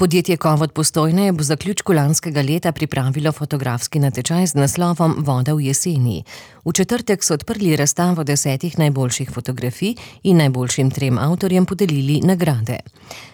Podjetje Kovod Postojna je po zaključku lanskega leta pripravilo fotografski natečaj z naslovom Voda v jeseni. V četrtek so odprli razstavo 10 najboljših fotografij in najboljšim 3 avtorjem podelili nagrade.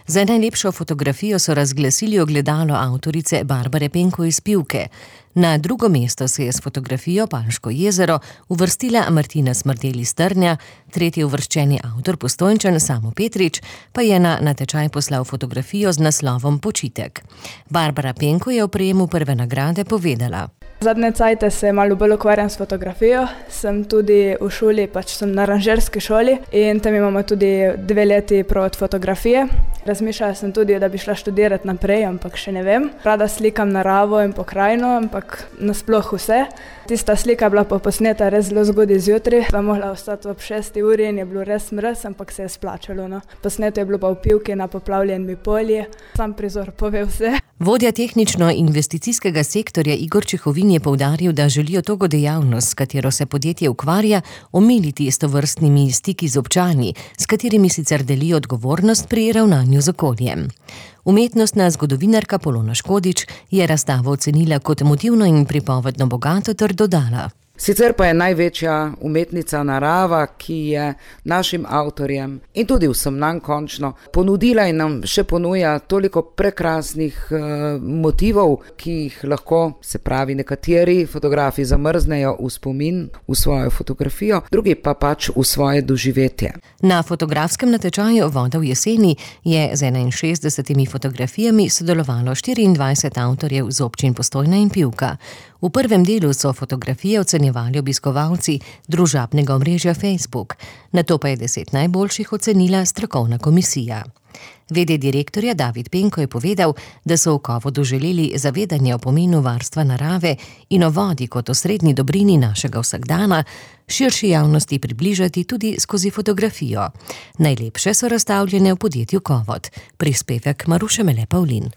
Za najlepšo fotografijo so razglasili ogledalo avtorice Barbare Penko iz Pivke. Na drugo mesto se je s fotografijo Palško jezero uvrstila Martina Smrdel iz Trnja, tretji uvrščeni avtor Postojnčan Samo Petrič pa je na natečaj poslal fotografijo z naslovom Počitek. Barbara Penko je o prejemu prve nagrade povedala. Zadnje cajte se malo bolj ukvarjam s fotografijo. Sem tudi v šoli, sem na aranžerski šoli in tam imamo tudi 2 leti provat fotografije. Razmišljala sem tudi, da bi šla študirati naprej, ampak še ne vem. Rada slikam naravo in pokrajino, ampak nasploh vse. Tista slika je bila pa posneta res zelo zgodaj zjutraj. Pa mogla ostati ob 6 uri in je bilo res mraz, ampak se je splačalo. No. Posneto je bilo pa v Pivki na poplavljeni polji. Sam prizor pove vse. Vodja tehnično-investicijskega sektorja Igor Čehovin je poudaril, da želijo togo dejavnost, s katero se podjetje ukvarja, omiliti s tovrstnimi stiki z občani, s katerimi sicer delijo odgovornost pri ravnanju z okoljem. Umetnostna zgodovinarka Polona Škodič je razstavo ocenila kot motivno in pripovedno bogato ter dodala. Sicer pa je največja umetnica narava, ki je našim avtorjem in tudi vsem nam končno ponudila in nam še ponuja toliko prekrasnih motivov, ki jih lahko, se pravi, nekateri fotografi zamrznejo v spomin, v svojo fotografijo, drugi pa pač v svoje doživetje. Na fotografskem natečaju Voda v jeseni je z 61 fotografijami sodelovalo 24 avtorjev z občin Postojna in Pivka. V prvem delu so fotografije ocenjevali obiskovalci družabnega omrežja Facebook, nato pa je 10 najboljših ocenila strokovna komisija. V.d. direktorja David Penko je povedal, da so v Kovodu želeli zavedanje o pomenu varstva narave in o vodi kot osrednji dobrini našega vsakdana širši javnosti približati tudi skozi fotografijo. Najlepše so razstavljene v podjetju Kovod. Prispevek Maruše Mele Pavlin.